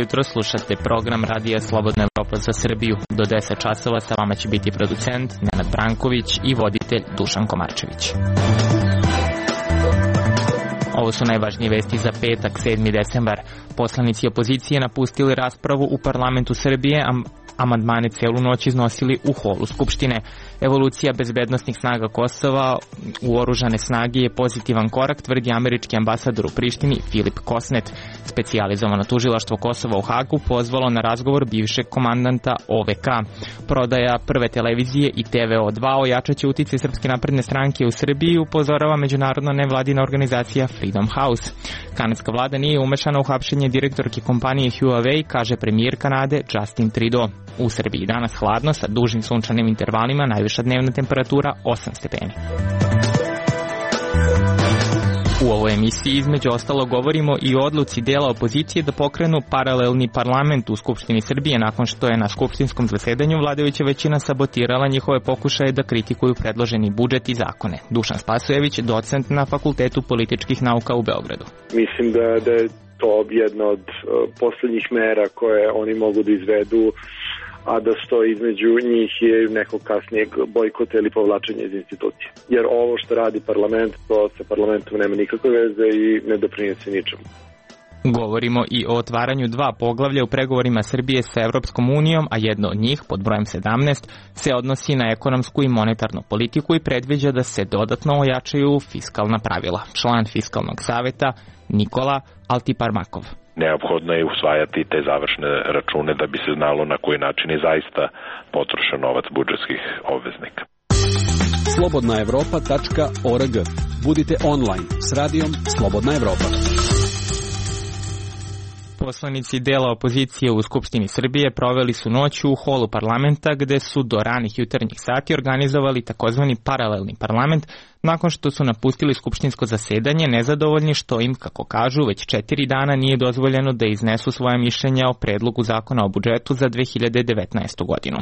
jutro, slušate program Radija Slobodna Evropa za Srbiju. Do 10 časova sa vama će biti producent Nenad Branković i voditelj Dušan Komarčević. Ovo su najvažnije vesti za petak, 7. decembar. Poslanici opozicije napustili raspravu u parlamentu Srbije, amandmane celu noć iznosili u holu Skupštine. Evolucija bezbednostnih snaga Kosova u oružane snage je pozitivan korak, tvrdi američki ambasador u Prištini Filip Kosnet. Specijalizovano tužilaštvo Kosova u Hagu pozvalo na razgovor bivšeg komandanta OVK. Prodaja Prve televizije i TVO2 ojačaće uticaj Srpske napredne stranke u Srbiji, upozorava međunarodna nevladina organizacija Freedom House. Kanadska vlada nije umešana u hapšenje direktorke kompanije Huawei, kaže premijer Kanade Justin Trudeau. U Srbiji danas hladno sa dužim sunčanim intervalima, najviša dnevna temperatura 8 stepeni. U ovoj emisiji između ostalo govorimo i o odluci dela opozicije da pokrenu paralelni parlament u Skupštini Srbije nakon što je na skupštinskom zasedanju vladajuća većina sabotirala njihove pokušaje da kritikuju predloženi budžet i zakone. Dušan Spasojević, docent na Fakultetu političkih nauka u Beogradu. Mislim da je to jedna od poslednjih mera koje oni mogu da izvedu, a da stoji između njih je nekog kasnijeg bojkota ili povlačenja iz institucije. Jer ovo što radi parlament, to sa parlamentom nema nikakve veze i ne doprinese ničemu. Govorimo i o otvaranju 2 poglavlja u pregovorima Srbije sa Evropskom unijom, a jedno od njih, pod brojem 17, se odnosi na ekonomsku i monetarnu politiku i predviđa da se dodatno ojačaju fiskalna pravila. Član Fiskalnog saveta Nikola Altiparmakov. Neophodno je usvajati te završne račune da bi se znalo na koji način je zaista potrošen novac budžetskih obveznika. slobodnaevropa.org. Budite online s radijom Slobodna Evropa. Poslanici dela opozicije u Skupštini Srbije proveli su noć u holu parlamenta gde su do ranih jutarnjih sati organizovali takozvani paralelni parlament nakon što su napustili skupštinsko zasedanje nezadovoljni što im, kako kažu, već 4 dana nije dozvoljeno da iznesu svoje mišljenja o predlogu zakona o budžetu za 2019. godinu.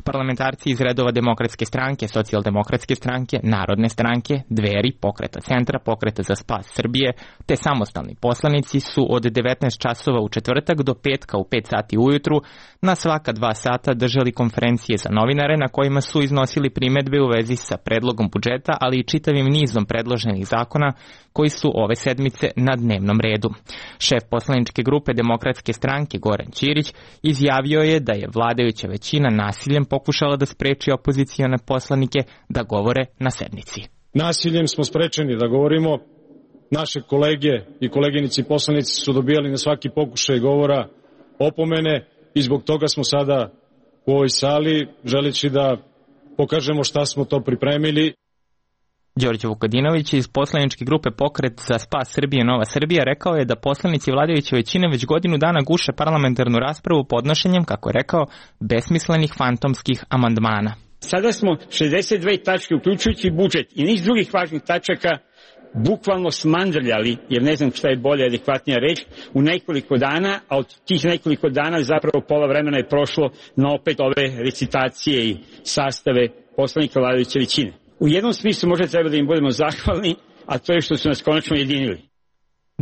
Parlamentarci iz redova Demokratske stranke, Socijaldemokratske stranke, Narodne stranke, Dveri, Pokreta centra, Pokreta za spas Srbije, te samostalni poslanici su od 19 časova u četvrtak do petka u 5 sati ujutru na svaka 2 sata držali konferencije za novinare na kojima su iznosili primedbe u vezi sa predlogom budžeta, ali i čitavim nizom predloženih zakona koji su ove sedmice na dnevnom redu. Šef poslaničke grupe Demokratske stranke Goran Ćirić izjavio je da je vladajuća većina nasiljem pokušala da spreči opozicione poslanike da govore na sednici. Nasiljem smo sprečeni da govorimo. Naše kolege i koleginici poslanici su dobijali na svaki pokušaj govora opomene i zbog toga smo sada u ovoj sali želeći da pokažemo šta smo to pripremili. Đorđe Vukadinović iz poslaničke grupe Pokret za spas Srbije Nova Srbija rekao je da poslanici vladajuće većine već godinu dana guše parlamentarnu raspravu podnošenjem, kako je rekao, besmislenih fantomskih amandmana. Sada smo 62 tačke, uključujući budžet i niz drugih važnih tačaka, bukvalno smandrljali, jer ne znam šta je bolja, adekvatnija reč, u nekoliko dana, a od tih nekoliko dana zapravo pola vremena je prošlo na opet ove recitacije i sastave poslanika vladajuće većine. U jednom smislu možda treba da im budemo zahvalni, a to je što su nas konačno jedinili.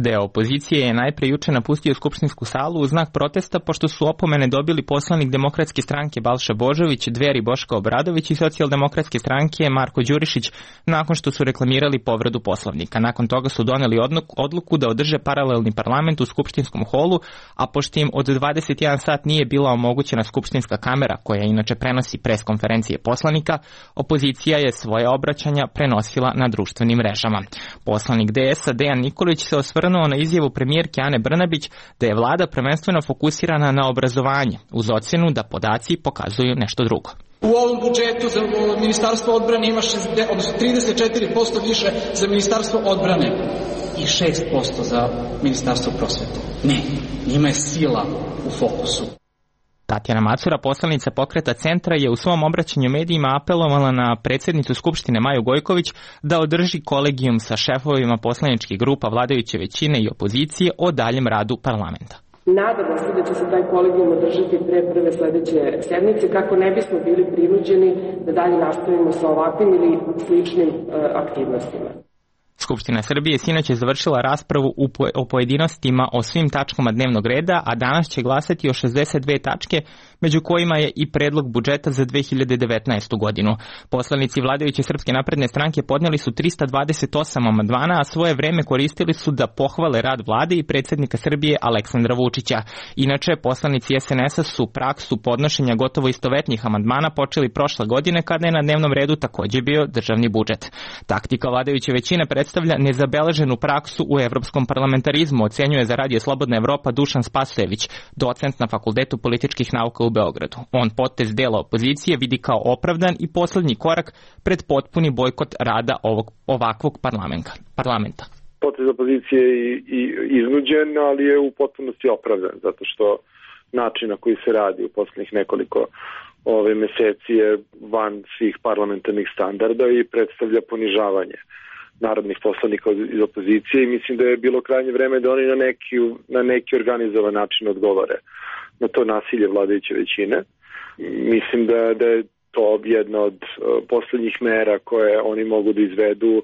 Deo opozicije je najpre juče napustio skupštinsku salu u znak protesta pošto su opomene dobili poslanik Demokratske stranke Balša Božović, Dveri Boško Obradović i Socijaldemokratske stranke Marko Đurišić nakon što su reklamirali povredu Poslovnika. Nakon toga su doneli odluku da održe paralelni parlament u skupštinskom holu, a pošto im od 21 sat nije bila omogućena skupštinska kamera koja inače prenosi preskonferencije poslanika, opozicija je svoje obraćanja prenosila na društvenim mrežama. Poslanik DS-a Dejan Nikolić se osvrnuo na izjavu premijerke Ane Brnabić da je vlada prvenstveno fokusirana na obrazovanje, uz ocenu da podaci pokazuju nešto drugo. U ovom budžetu za Ministarstvo odbrane ima 34% više za Ministarstvo odbrane i 6% za Ministarstvo prosvete. Ne, njima je sila u fokusu. Tatjana Macura, poslanica Pokreta centra, je u svom obraćanju medijima apelovala na predsjednicu Skupštine Maju Gojković da održi kolegijum sa šefovima poslaničkih grupa vladajuće većine i opozicije o daljem radu parlamenta. Nadamo se da će se taj kolegijum održati pre prve sledeće sedmice kako ne bismo bili prinuđeni da dalje nastavimo sa ovakvim ili sličnim aktivnostima. Skupština Srbije sinoć je završila raspravu o pojedinostima o svim tačkama dnevnog reda, a danas će glasati o 62 tačke, među kojima je i predlog budžeta za 2019. godinu. Poslanici vladajuće Srpske napredne stranke podnijeli su 328 amandmana, a svoje vreme koristili su da pohvale rad vlade i predsjednika Srbije Aleksandra Vučića. Inače, poslanici SNS-a su praksu podnošenja gotovo istovetnih amandmana počeli prošle godine kada je na dnevnom redu također bio državni budžet. Taktika vladajuće većine predstavlja nezabeleženu praksu u evropskom parlamentarizmu, ocenjuje za Radio Slobodna Evropa Dušan Spasojević, docent na Fakultetu političkih nauka u Beogradu. On potez dela opozicije vidi kao opravdan i poslednji korak pred potpuni bojkot rada ovakvog parlamenta. Potez opozicije je iznuđen, ali je u potpunosti opravdan, zato što način na koji se radi u poslednjih nekoliko meseci je van svih parlamentarnih standarda i predstavlja ponižavanje narodnih poslanika iz opozicije i mislim da je bilo krajnje vreme da oni na neki organizovan način odgovore na to nasilje vladajuće većine. Mislim da je to jedna od poslednjih mera koje oni mogu da izvedu,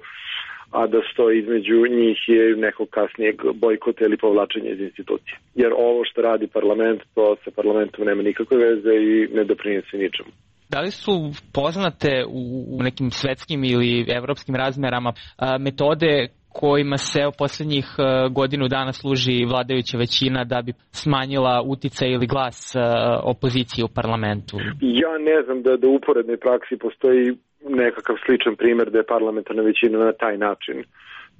a da stoji između njih je nekog kasnijeg bojkota ili povlačenja iz institucije. Jer ovo što radi parlament, to sa parlamentom nema nikakve veze i ne doprinese ničemu. Da li su poznate u nekim svetskim ili evropskim razmerama metode kojima se u posljednjih godinu dana služi vladajuća većina da bi smanjila uticaj ili glas opozicije u parlamentu? Ja ne znam da u uporednoj praksi postoji nekakav sličan primjer da je parlamentarna većina na taj način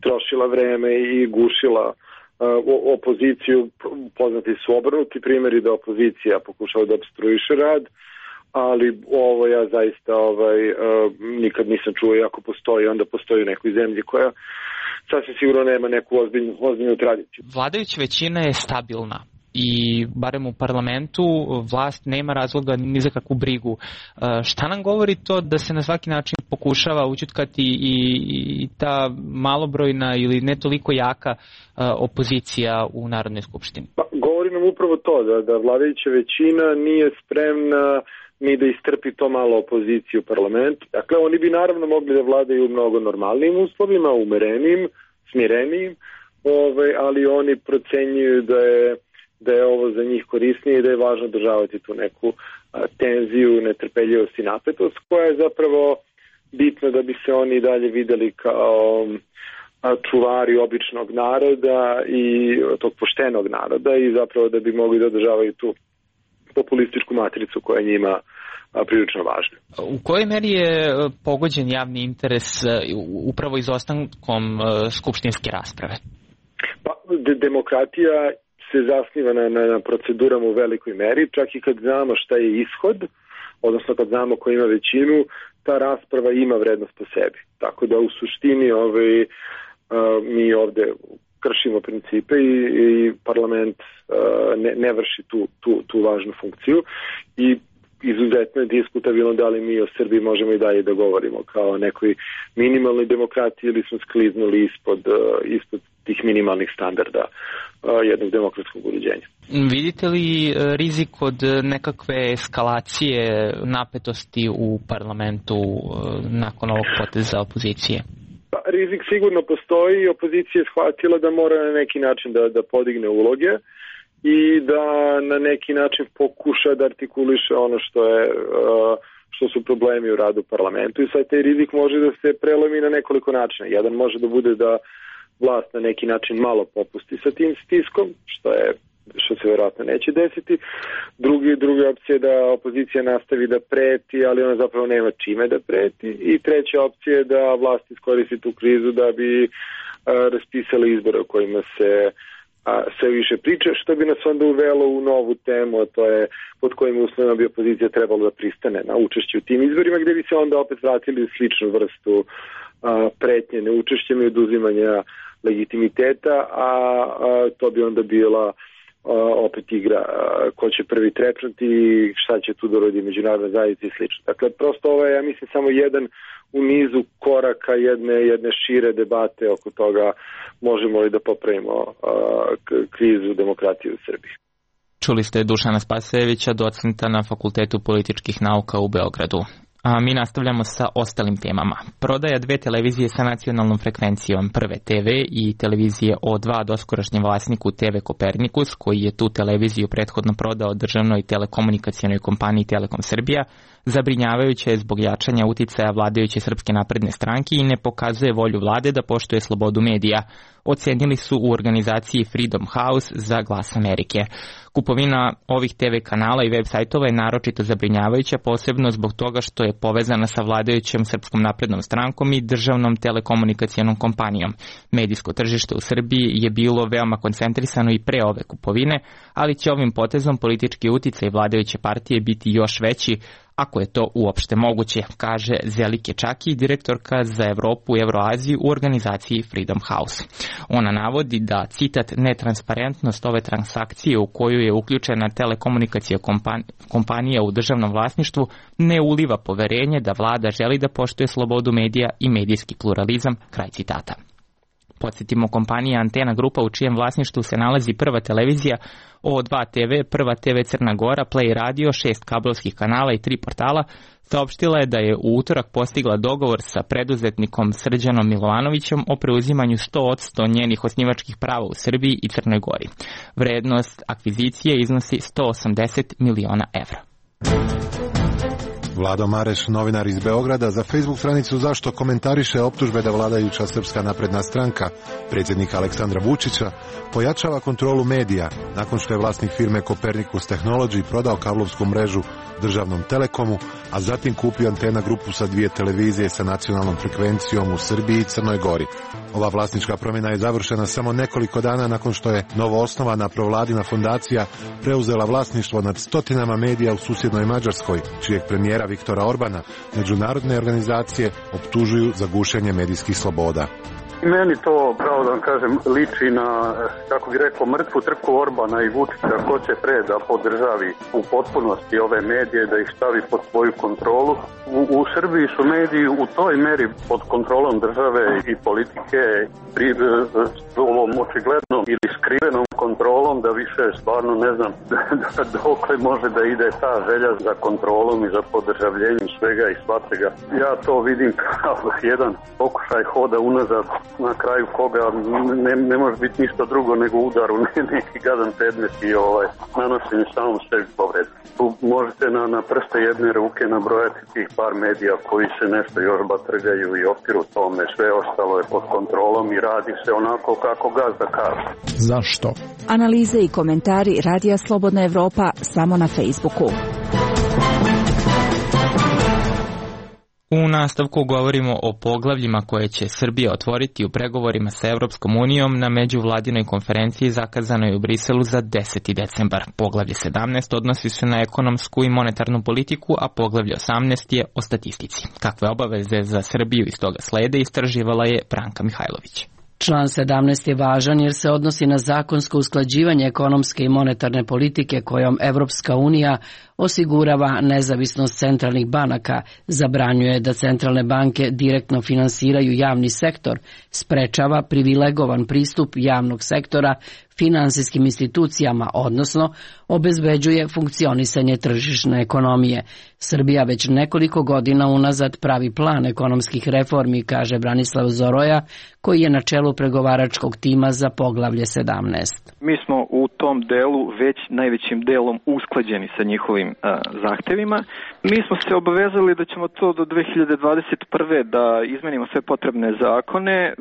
trošila vreme i gušila opoziciju. Poznati su obrnuti primjeri da opozicija pokušava da obstruiše rad, ali ovo ja zaista nikad nisam čuo, i ako postoji, onda postoji u nekoj zemlji koja sasvim sigurno nema neku ozbiljnu tradiciju. Vladajuća većina je stabilna i barem u parlamentu vlast nema razloga ni za kakvu brigu. Šta nam govori to da se na svaki način pokušava ućutkati i ta malobrojna ili ne toliko jaka opozicija u Narodnoj skupštini? Pa, govori nam upravo to da vladajuća većina nije spremna ni da istrpi to malo opozicije u parlamentu. Dakle, oni bi naravno mogli da vladaju u mnogo normalnim uslovima, umerenijim, smirenijim, ali oni procenjuju da je ovo za njih korisnije i da je važno održavati tu neku tenziju, netrpeljivost i napetost, koja je zapravo bitna da bi se oni dalje videli kao čuvari običnog naroda i tog poštenog naroda i zapravo da bi mogli da održavaju tu populističku matricu koja je njima prilično važna. U kojoj meri je pogođen javni interes upravo izostankom skupštinske rasprave? Pa, demokratija se zasniva na procedurama u velikoj meri, čak i kad znamo šta je ishod, odnosno kad znamo ko ima većinu, ta rasprava ima vrednost po sebi. Tako da u suštini mi ovde kršimo principe i parlament ne vrši tu važnu funkciju i izuzetno je diskutabilno da li mi o Srbiji možemo i dalje da govorimo kao nekoj minimalnoj demokratiji ili smo skliznuli ispod tih minimalnih standarda jednog demokratskog uređenja. Vidite li rizik od nekakve eskalacije napetosti u parlamentu nakon ovog poteza opozicije? Rizik sigurno postoji i opozicija je shvatila da mora na neki način da podigne uloge i da na neki način pokuša da artikuliše ono što su problemi u radu parlamentu i sad taj rizik može da se prelomi na nekoliko načina. Jedan može da bude da vlast na neki način malo popusti sa tim stiskom, što se vjerojatno neće desiti. Druga opcija je da opozicija nastavi da preti, ali ona zapravo nema čime da preti. I treća opcija je da vlast iskoristi tu krizu da bi raspisali izbore o kojima se sve više priča, što bi nas onda uvelo u novu temu, a to je pod kojim uslovima bi opozicija trebalo da pristane na učešće u tim izborima, gde bi se onda opet vratili u sličnu vrstu pretnje neučešćem i oduzimanja legitimiteta, a to bi onda bila opet igra ko će prvi trepnuti i šta će tu doroditi međunarodna zajednica i slično. Dakle, prosto ovo je, ja mislim, samo jedan u nizu koraka jedne šire debate oko toga možemo li da popravimo krizu demokratije u Srbiji. Čuli ste Dušana Spasojevića, docenta na Fakultetu političkih nauka u Beogradu. A mi nastavljamo sa ostalim temama. Prodaja 2 televizije sa nacionalnom frekvencijom Prve TV i televizije O2 doskorašnjem vlasniku TV Kopernikus, koji je tu televiziju prethodno prodao državnoj telekomunikacionoj kompaniji Telekom Srbija, zabrinjavajuće je zbog jačanja uticaja vladajuće Srpske napredne stranke i ne pokazuje volju vlade da poštuje slobodu medija, ocenili su u organizaciji Freedom House za Glas Amerike. Kupovina ovih TV kanala i web sajtova je naročito zabrinjavajuća, posebno zbog toga što je povezana sa vladajućom Srpskom naprednom strankom i državnom telekomunikacionom kompanijom. Medijsko tržište u Srbiji je bilo veoma koncentrisano i pre ove kupovine, ali će ovim potezom politički uticaj vladajuće partije biti još veći, ako je to uopšte moguće, kaže Zelike Čaki, direktorka za Evropu i Evroaziju u organizaciji Freedom House. Ona navodi da, citat, netransparentnost ove transakcije u koju je uključena telekomunikacija kompanija u državnom vlasništvu ne uliva poverenje da vlada želi da poštuje slobodu medija i medijski pluralizam, kraj citata. Podsjetimo, kompanija Antena Grupa, u čijem vlasništvu se nalazi Prva televizija, O2 TV, Prva TV Crna Gora, Play Radio, 6 kablovskih kanala i 3 portala, saopštila je da je u utorak postigla dogovor sa preduzetnikom Srđanom Milovanovićem o preuzimanju 100% njenih osnivačkih prava u Srbiji i Crnoj Gori. Vrednost akvizicije iznosi 180 miliona evra. Vlado Mareš, novinar iz Beograda, za Facebook stranicu Zašto komentariše optužbe da vladajuća Srpska napredna stranka, predsjednika Aleksandra Vučića, pojačava kontrolu medija nakon što je vlasnik firme Copernicus Technology prodao kablovsku mrežu državnom Telekomu, a zatim kupio Antena Grupu sa 2 televizije sa nacionalnom frekvencijom u Srbiji i Crnoj Gori. Ova vlasnička promjena je završena samo nekoliko dana nakon što je novoosnovana provladina fondacija preuzela vlasništvo nad stotinama medija u susjednoj Mađarskoj, čijeg premijera Viktora Orbana međunarodne organizacije optužuju za gušenje medijskih sloboda. Meni to, pravo da vam kažem, liči na, kako bi rekao, mrtvu trku Orbana i Vučića, ko će pre da podržavi u potpunosti ove medije, da ih stavi pod svoju kontrolu. U Srbiji su mediji u toj meri pod kontrolom države i politike, ovom očiglednom ili skrivenom kontrolom, da više stvarno ne znam dokle može da ide ta želja za kontrolom i za podržavljenjem svega i svačega. Ja to vidim kao jedan pokušaj hoda unazad, na kraju koga ne može biti ništa drugo nego udar u neki gadan predmet i nanošenje samom sebi povredu. Tu možete na prste jedne ruke nabrojati tih par medija koji se nešto još batrgaju i opiru tome. Sve ostalo je pod kontrolom i radi se onako kako gazda kaže. Zašto? Analize i komentari Radija Slobodna Evropa samo na Facebooku. U nastavku govorimo o poglavljima koje će Srbija otvoriti u pregovorima sa Evropskom unijom na međuvladinoj konferenciji zakazanoj u Briselu za 10. decembar. Poglavlje 17 odnosi se na ekonomsku i monetarnu politiku, a poglavlje 18 je o statistici. Kakve obaveze za Srbiju iz toga slede istraživala je Branka Mihajlović. Član 17 je važan jer se odnosi na zakonsko usklađivanje ekonomske i monetarne politike kojom Evropska unija osigurava nezavisnost centralnih banaka, zabranjuje da centralne banke direktno finansiraju javni sektor, sprečava privilegovan pristup javnog sektora finansijskim institucijama, odnosno obezbeđuje funkcionisanje tržišne ekonomije. Srbija već nekoliko godina unazad pravi plan ekonomskih reformi, kaže Branislav Zoroja, koji je na čelu pregovaračkog tima za poglavlje 17. Mi smo u tom delu već najvećim delom usklađeni sa njihovim zahtevima. Mi smo se obavezali da ćemo to do 2021. da izmenimo sve potrebne zakone,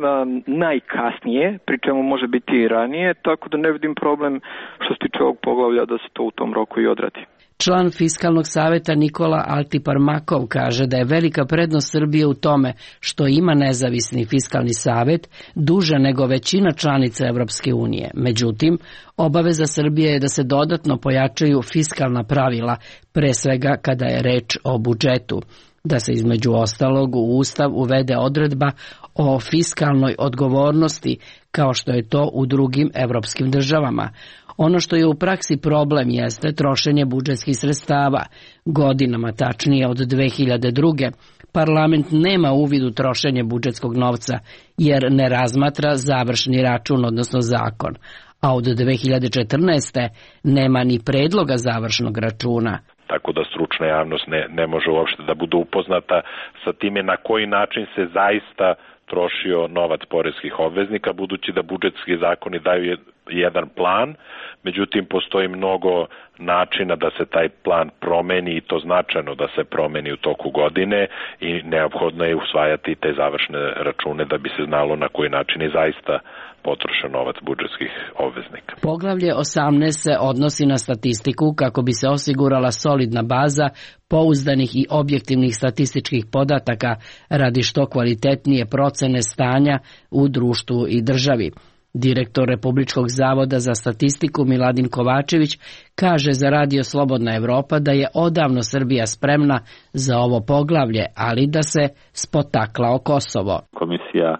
najkasnije, pri čemu može biti i ranije, tako da ne vidim problem što se tiče ovog poglavlja da se to u tom roku i odradi. Član Fiskalnog saveta Nikola Altiparmakov kaže da je velika prednost Srbije u tome što ima nezavisni fiskalni savet duže nego većina članica Evropske unije. Međutim, obaveza Srbije je da se dodatno pojačaju fiskalna pravila, pre svega kada je reč o budžetu, da se između ostalog u Ustav uvede odredba o fiskalnoj odgovornosti, kao što je to u drugim evropskim državama. Ono što je u praksi problem jeste trošenje budžetskih sredstava. Godinama, tačnije od 2002. parlament nema uvid u trošenje budžetskog novca jer ne razmatra završni račun, odnosno zakon. A od 2014. nema ni predloga završnog računa. tako da stručna javnost ne može uopšte da bude upoznata sa time na koji način se zaista trošio novac poreskih obveznika, budući da budžetski zakoni daju jedan plan, međutim postoji mnogo načina da se taj plan promeni i to značajno da se promeni u toku godine i neophodno je usvajati te završne račune da bi se znalo na koji način je zaista potrošen novac budžetskih obveznika. Poglavlje 18 se odnosi na statistiku kako bi se osigurala solidna baza pouzdanih i objektivnih statističkih podataka radi što kvalitetnije procene stanja u društvu i državi. Direktor Republičkog zavoda za statistiku Miladin Kovačević kaže za Radio Slobodna Evropa da je odavno Srbija spremna za ovo poglavlje, ali da se spotakla o Kosovo. Komisija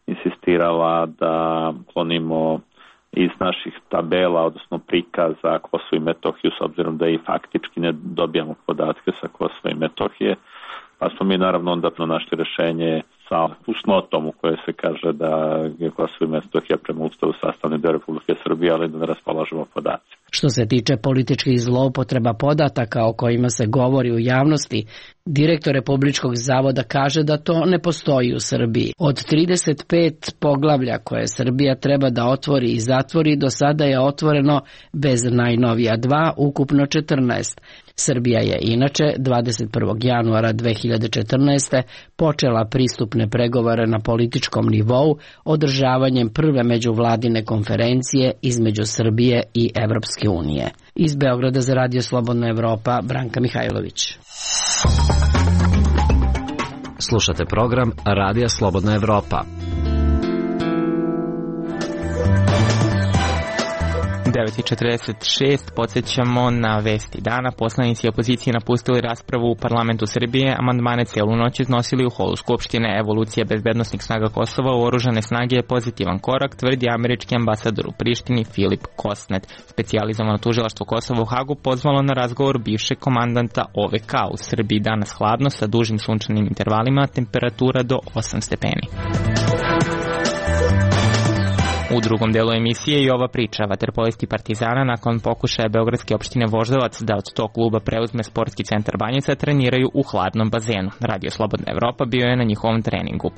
insistirala da klonimo iz naših tabela, odnosno prikaza Kosovo i Metohiju, s obzirom da i faktički ne dobijamo podatke sa Kosova i Metohije, pa smo mi naravno onda našli rešenje sa fusnotom u kojoj se kaže da je Kosovo i Metohija prema Ustavu sastavni deo Republike Srbije, ali da ne raspolažemo podaci. Što se tiče političkih zloupotreba podataka o kojima se govori u javnosti, direktor Republičkog zavoda kaže da to ne postoji u Srbiji. Od 35 poglavlja koje Srbija treba da otvori i zatvori, do sada je otvoreno bez najnovija 2, ukupno 14. Srbija je inače 21. januara 2014. počela pristupne pregovore na političkom nivou održavanjem prve međuvladine konferencije između Srbije i Evropske unije. Iz Beograda za Radio Slobodna Evropa, Branka Mihajlović. Slušate program Radija Slobodna Evropa. 9:46, podsjećamo na vesti dana. Poslanici opozicije napustili raspravu u parlamentu Srbije, amandmane celu noć iznosili u holu Skupštine. Evolucija bezbednosnih snaga Kosova u oružane snage je pozitivan korak, tvrdi američki ambasador u Prištini Filip Kosnet. Specijalizovano tužilaštvo Kosova u Hagu pozvalo na razgovor bivšeg komandanta OVK. U Srbiji danas hladno sa dužim sunčanim intervalima, temperatura do 8 stepeni. U drugom delu emisije i ova priča. Vaterpolisti Partizana nakon pokušaja beogradske opštine Voždovac da od tog kluba preuzme sportski centar Banjica treniraju u hladnom bazenu. Radio Slobodna Evropa bio je na njihovom treningu.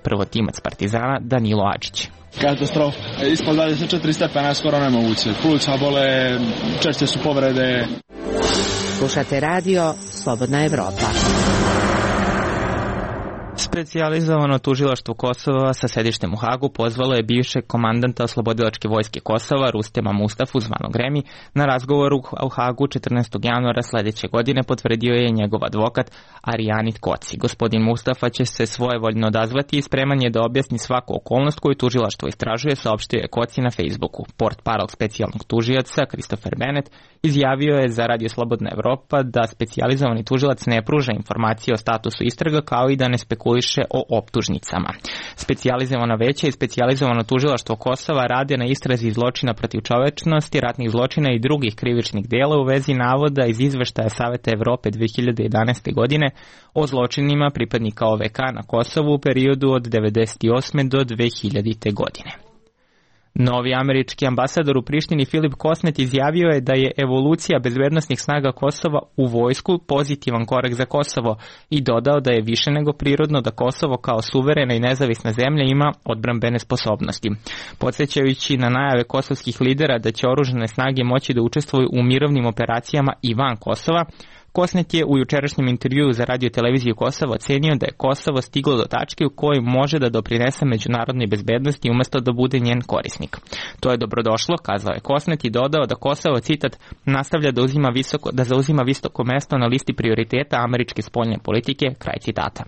Prvotimac Partizana Danilo Adžić. Katastrofa. Ispod 24 stepena je skoro nemoguće. Pluća bole, češće su povrede. Slušate Radio Slobodna Evropa. Specijalizovano tužilaštvo Kosova sa sedištem u Hagu pozvalo je bivšeg komandanta Oslobodilačke vojske Kosova Rustema Mustafu zvanog Remi na razgovoru u Hagu 14. januara sledeće godine, potvrdio je njegov advokat Arijanit Koci. Gospodin Mustafa će se svojevoljno odazvati i spreman je da objasni svaku okolnost koju tužilaštvo istražuje, saopštio je Koci na Facebooku. Portparol specijalnog tužioca Christopher Bennett izjavio je za Radio Slobodna Evropa da specijalizovani tužilac ne pruža informacije o statusu istraga kao i da ne spekuliše o optužnicama. Specijalizovana veća i specijalizovano tužilaštvo Kosova rade na istrazi zločina protiv čovečnosti, ratnih zločina i drugih krivičnih dela u vezi navoda iz izveštaja Saveta Evrope 2011. godine o zločinima pripadnika OVK na Kosovu u periodu od 1998. do 2000. godine. Novi američki ambasador u Prištini Filip Kosnet izjavio je da je evolucija bezbednosnih snaga Kosova u vojsku pozitivan korak za Kosovo i dodao da je više nego prirodno da Kosovo kao suverena i nezavisna zemlja ima odbrambene sposobnosti. Podsjećajući na najave kosovskih lidera da će oružane snage moći da učestvuju u mirovnim operacijama i van Kosova, Kosnet je u jučerašnjem intervjuu za Radio televiziju Kosova ocenio da je Kosovo stiglo do tačke u kojoj može da doprinese međunarodnoj bezbednosti umesto da bude njen korisnik. To je dobrodošlo, kazao je Kosnet i dodao da Kosovo, citat, nastavlja da zauzima visoko mesto na listi prioriteta američke spoljne politike, kraj citata.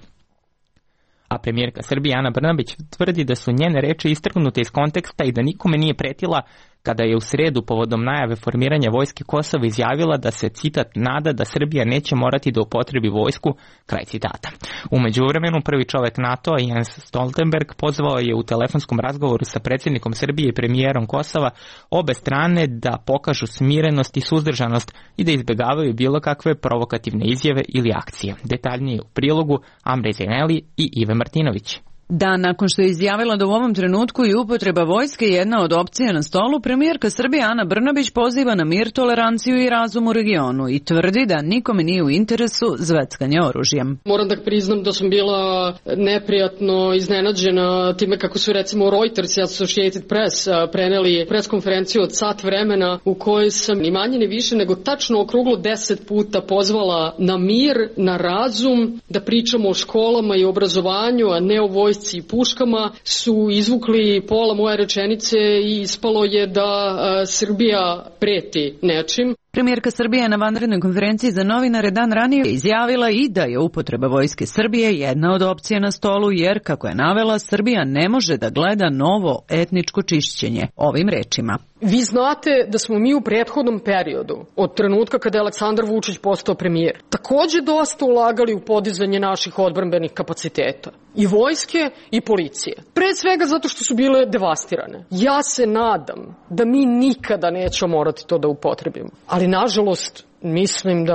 A premijerka Srbije Ana Brnabić tvrdi da su njene reči istrgnute iz konteksta i da nikome nije pretila kada je u sredu povodom najave formiranja vojske Kosova izjavila da se, citat, nada da Srbija neće morati da upotrebi vojsku, kraj citata. U međuvremenu prvi čovek NATO-a Jens Stoltenberg pozvao je u telefonskom razgovoru sa predsjednikom Srbije i premijerom Kosova obe strane da pokažu smirenost i suzdržanost i da izbjegavaju bilo kakve provokativne izjave ili akcije. Detaljnije u prilogu Amre Zeneli i Ive Martinović. Dan nakon što je izjavila da u ovom trenutku i upotreba vojske jedna od opcija na stolu, premijerka Srbije Ana Brnabić poziva na mir, toleranciju i razum u regionu i tvrdi da nikome nije u interesu zveckanje oružjem. Moram da priznam da sam bila neprijatno iznenađena time kako su recimo Reuters i Associated Press preneli preskonferenciju od sat vremena u kojoj sam ni manje ni više nego tačno okruglo 10 puta pozvala na mir, na razum, da pričamo o školama i obrazovanju, a ne o vojsci i puškama. Su izvukli pola moje rečenice i ispalo je da Srbija preti nečim. Premijerka Srbije je na vanrednoj konferenciji za novinare dan ranije izjavila i da je upotreba vojske Srbije jedna od opcija na stolu, jer, kako je navela, Srbija ne može da gleda novo etničko čišćenje. Ovim rečima. Vi znate da smo mi u prethodnom periodu, od trenutka kada je Aleksandar Vučić postao premijer, takođe dosta ulagali u podizanje naših odbrambenih kapaciteta. I vojske i policije. Pre svega zato što su bile devastirane. Ja se nadam da mi nikada nećemo morati to da upotrebimo. Ali nažalost mislim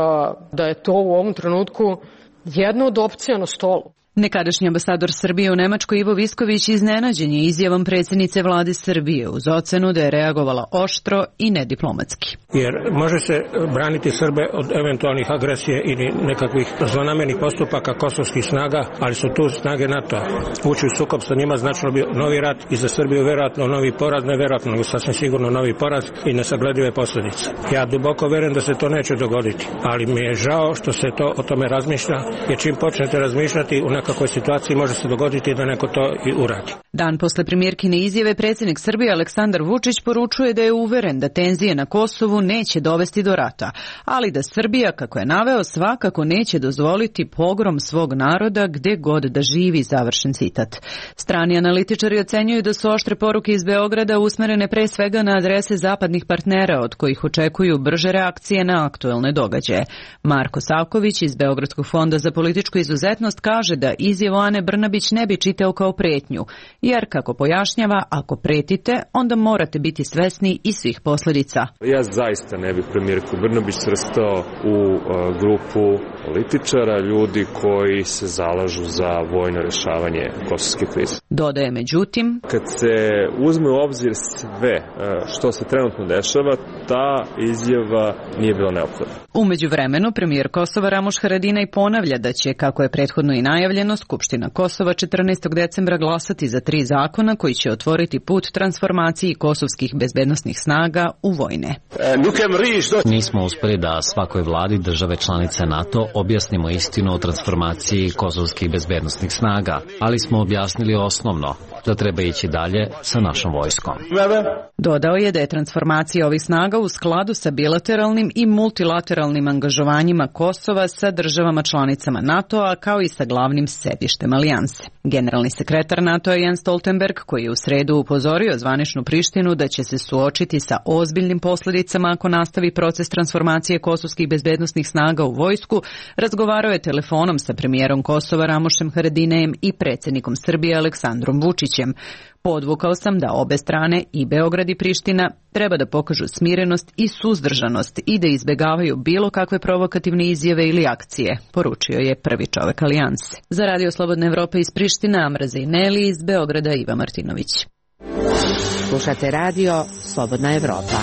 da je to u ovom trenutku jedna od opcija na stolu. Nekadašnji ambasador Srbije u Nemačkoj Ivo Visković iznenađen je izjavom predsjednice vlade Srbije uz ocenu da je reagovala oštro i nediplomatski. Jer može se braniti Srbe od eventualnih agresije ili nekakvih zlonamernih postupaka kosovskih snaga, ali su tu snage NATO-a. Ući u sukob sa njima značilo bi novi rat i za Srbiju verovatno novi poraz, ne verovatno, nego sasvim sigurno novi poraz i nesagledive posljedice. Ja duboko verujem da se to neće dogoditi, ali mi je žao što se to o tome razmišlja, jer čim počnete razmišljati u nekakvoj situaciji može se dogoditi da neko to i uradi. Dan posle premijerkine izjave predsjednik Srbije Aleksandar Vučić poručuje da je uveren da tenzije na Kosovu neće dovesti do rata, ali da Srbija, kako je naveo, svakako neće dozvoliti pogrom svog naroda gde god da živi, završen citat. Strani analitičari ocenjuju da su oštre poruke iz Beograda usmerene pre svega na adrese zapadnih partnera od kojih očekuju brže reakcije na aktuelne događaje. Marko Savković iz Beogradskog fonda za političku izuzetnost kaže da izjavu Ane Brnabić ne bi čitao kao pretnju, jer, kako pojašnjava, ako pretite, onda morate biti svesni i svih posljedica. Ja zaista ne bih premijerku Brnabić svrstao u grupu političara, ljudi koji se zalažu za vojno rješavanje kosovske krize. Dodaje, međutim, kad se uzme u obzir sve što se trenutno dešava, ta izjava nije bila neophodna. U međuvremenu, premijer Kosova Ramuš Haradinaj ponavlja da će, kako je prethodno i najavljeno, Skupština Kosova 14. decembra glasati za 3 zakona koji će otvoriti put transformaciji kosovskih bezbednosnih snaga u vojne. Nismo uspeli da svakoj vladi države članice NATO objasnimo istinu o transformaciji kosovskih bezbednosnih snaga, ali smo objasnili osnovno, da treba ići dalje sa našom vojskom. Dodao je da je transformacija ovih snaga u skladu sa bilateralnim i multilateralnim angažovanjima Kosova sa državama članicama NATO-a, kao i sa glavnim sedištem alijanse. Generalni sekretar NATO-a Jens Stoltenberg, koji je u sredu upozorio zvaničnu Prištinu da će se suočiti sa ozbiljnim posljedicama ako nastavi proces transformacije kosovskih bezbednosnih snaga u vojsku, razgovarao je telefonom sa premijerom Kosova Ramušem Haradinajem i predsjednikom Srbije Aleksandrom Vučićem. Podvukao sam da obe strane, i Beograd i Priština, treba da pokažu smirenost i suzdržanost i da izbegavaju bilo kakve provokativne izjave ili akcije, poručio je prvi čovek alijanse. Za Radio Slobodna Evropa iz Priština, Amraza i Neli, iz Beograda Iva Martinović. Slušate Radio Slobodna Evropa.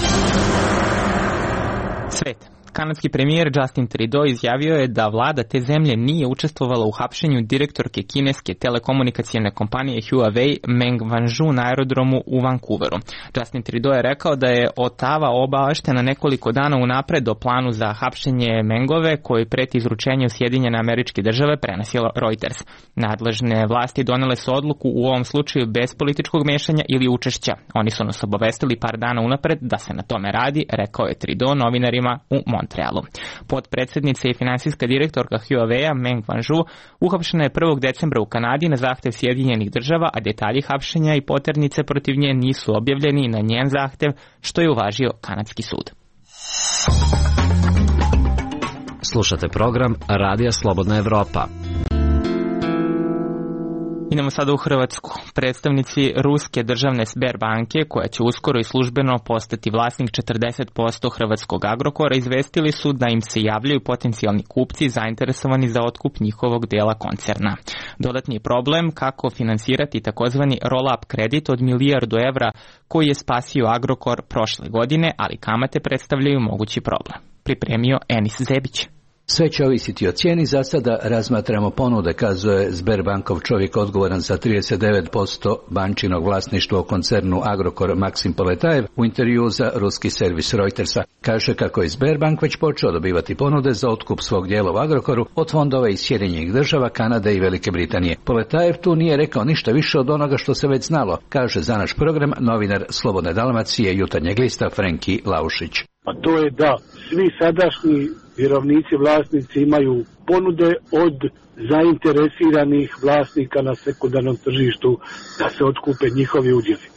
Svet. Kanadski premijer Justin Trudeau izjavio je da vlada te zemlje nije učestvovala u hapšenju direktorke kineske telekomunikacijne kompanije Huawei Meng Wanzhou na aerodromu u Vancouveru. Justin Trudeau je rekao da je Ottawa obaveštena nekoliko dana unapred o planu za hapšenje Mengove, koji preti izručenje u Sjedinjene Američke Države, prenosio Reuters. Nadležne vlasti donele su odluku u ovom slučaju bez političkog mešanja ili učešća. Oni su nas obavestili par dana unapred da se na tome radi, rekao je Trudeau novinarima u Montrealu. Potpredsednica i finansijska direktorka Huawei-a Meng Wanzhou uhapšena je 1. decembra u Kanadi na zahtev Sjedinjenih Država, a detalji hapšenja i poternice protiv nje nisu objavljeni na njen zahtev, što je uvažio kanadski sud. Slušate program Radija Slobodna Evropa. Idemo sada u Hrvatsku. Predstavnici ruske državne Sberbanke, koja će uskoro i službeno postati vlasnik 40% hrvatskog Agrokora, izvestili su da im se javljaju potencijalni kupci zainteresovani za otkup njihovog dela koncerna. Dodatni je problem kako finansirati takozvani roll-up kredit od milijardu evra koji je spasio Agrokor prošle godine, ali kamate predstavljaju mogući problem. Pripremio Enis Zebić. Sve će ovisiti o cijeni, za sada razmatramo ponude, kazuje Sberbankov čovjek odgovoran za 39% bančinog vlasništva u koncernu Agrokor Maksim Poletajev u intervju za ruski servis Reutersa. Kaže kako je Sberbank već počeo dobivati ponude za otkup svog dijela u Agrokoru od fondova iz Sjedinjenih Država, Kanade i Velike Britanije. Poletajev tu nije rekao ništa više od onoga što se već znalo, kaže za naš program novinar Slobodne Dalmacije Jutarnjeg lista Frenki Laušić. A to je da svi sadašnji vjerovnici, vlasnici imaju ponude od zainteresiranih vlasnika na sekundarnom tržištu da se otkupe njihovi udjeli.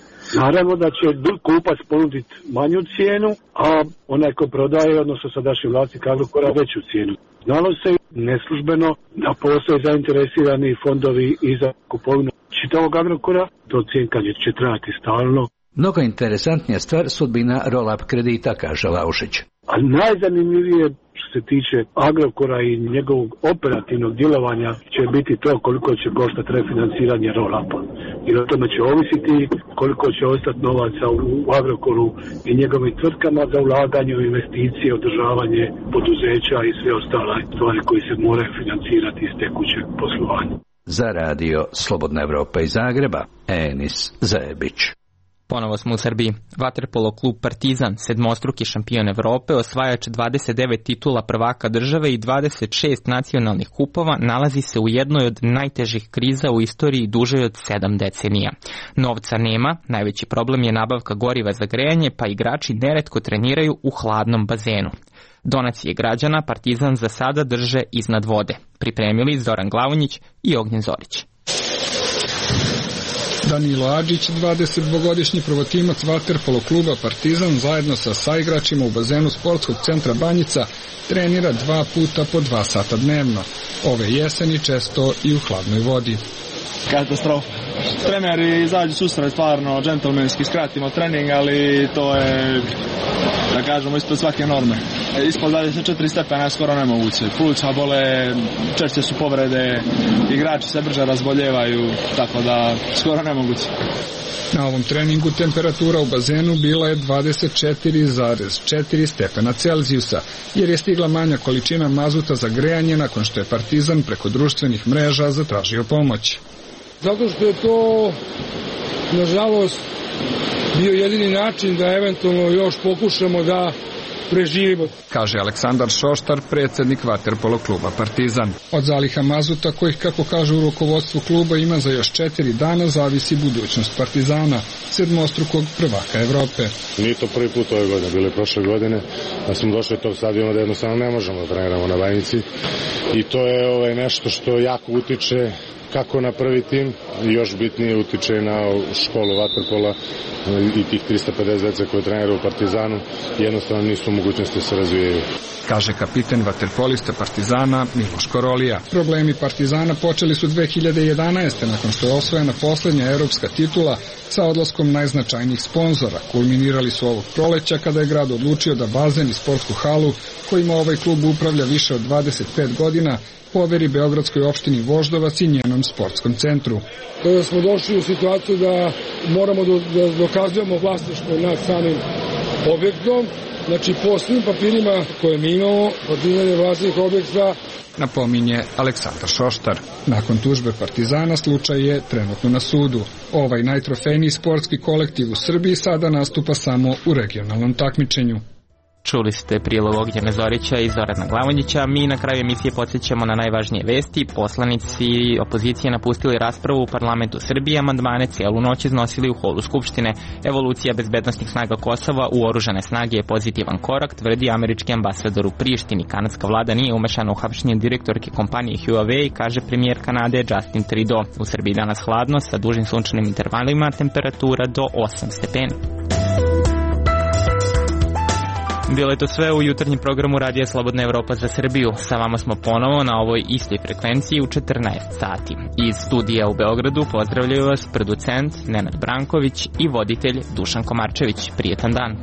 Naravno da će kupac ponuditi manju cijenu, a onaj ko prodaje, odnosno sadašnji vlasnik Agrokora, veću cijenu. Znalo se neslužbeno da postoje zainteresirani fondovi i za kupovinu čitavog Agrokora, to cjenkanje će trajati stalno. Mnogo interesantnija stvar sudbina roll-up kredita, kaže Laušić. A najzanimljivije što se tiče Agrokora i njegovog operativnog djelovanja će biti to koliko će koštati refinanciranje roll-upa. Jer o tome će ovisiti koliko će ostati novaca u Agrokoru i njegovim tvrtkama za ulaganje u investicije, održavanje poduzeća i sve ostale stvari koje se moraju financirati iz tekućeg poslovanja. Za radio Slobodna Evropa iz Zagreba, Enis Zebić. Ponovo smo u Srbiji. Vaterpolo klub Partizan, sedmostruki šampion Evrope, osvajač 29 titula prvaka države i 26 nacionalnih kupova, nalazi se u jednoj od najtežih kriza u istoriji dužoj od 7 decenija. Novca nema, najveći problem je nabavka goriva za grejanje, pa igrači neretko treniraju u hladnom bazenu. Donacije građana Partizan za sada drže iznad vode. Pripremili Zoran Glavonjić i Ognjen Zorić. Danilo Adžić, 22-godišnji prvotimac vaterpolo kluba Partizan, zajedno sa saigračima u bazenu sportskog centra Banjica, trenira 2 puta po 2 sata dnevno. Ove jeseni često i u hladnoj vodi. Katastrofa. Treneri izađu susret, stvarno džentlmenski skratimo trening, ali to je, da kažemo, ispod svake norme. Ispod 24 stepena je skoro nemoguće. Pluća bole, češće su povrede, igrači se brže razboljevaju, tako da skoro nemoguće. Na ovom treningu temperatura u bazenu bila je 24,4 stepena Celzijusa, jer je stigla manja količina mazuta za grejanje nakon što je Partizan preko društvenih mreža zatražio pomoć. Zato što je to, nažalost, bio jedini način da eventualno još pokušamo da preživimo, kaže Aleksandar Šoštar, predsjednik vaterpolo kluba Partizan. Od zaliha mazuta, kojih, kako kaže u rukovodstvu kluba, ima za još 4 dana, zavisi budućnost Partizana, sedmostrukog prvaka Evrope. Nije to prvi put ove godine, bilo je prošle godine, da smo došli od tog stadiona da jednostavno ne možemo da treniramo na Banjici i to je nešto što jako utiče kako na prvi tim, još bitnije utiče na školu vaterpola i tih 350 dece koje treniraju u Partizanu, jednostavno nisu u mogućnosti da se razvijaju. Kaže kapiten vaterpolista Partizana Miloš Korolija. Problemi Partizana počeli su 2011. nakon što je osvojena posljednja evropska titula sa odlaskom najznačajnijih sponzora. Kulminirali su ovog proleća kada je grad odlučio da bazen i sportsku halu, kojima ovaj klub upravlja više od 25 godina, poveri beogradskoj opštini Voždovac i njenom sportskom centru. Kada smo došli u situaciju da moramo da dokazujemo vlasništvo nad samim objektom, znači po svim papirima koje mi imamo, Partizan je vlasnik objekta, napominje Aleksandar Šoštar. Nakon tužbe Partizana slučaj je trenutno na sudu. Ovaj najtrofejniji sportski kolektiv u Srbiji sada nastupa samo u regionalnom takmičenju. Čuli ste prilog Ognjena Zorića i Zorana Glavonjića. Mi na kraju emisije podsjećamo na najvažnije vesti. Poslanici opozicije napustili raspravu u parlamentu Srbije, amandmane cijelu noć iznosili u holu Skupštine. Evolucija bezbednosnih snaga Kosova u oružane snage je pozitivan korak, tvrdi američki ambasador u Prištini. Kanadska vlada nije umešana u hapšenje direktorke kompanije Huawei, kaže premijer Kanade Justin Trudeau. U Srbiji danas hladno sa dužim sunčanim intervalima, temperatura do 8 stepeni. Bilo je to sve u jutarnjem programu Radija Slobodna Evropa za Srbiju. Sa vama smo ponovo na ovoj istoj frekvenciji u 14 sati. Iz studija u Beogradu pozdravljaju vas producent Nenad Branković i voditelj Dušan Komarčević. Prijetan dan.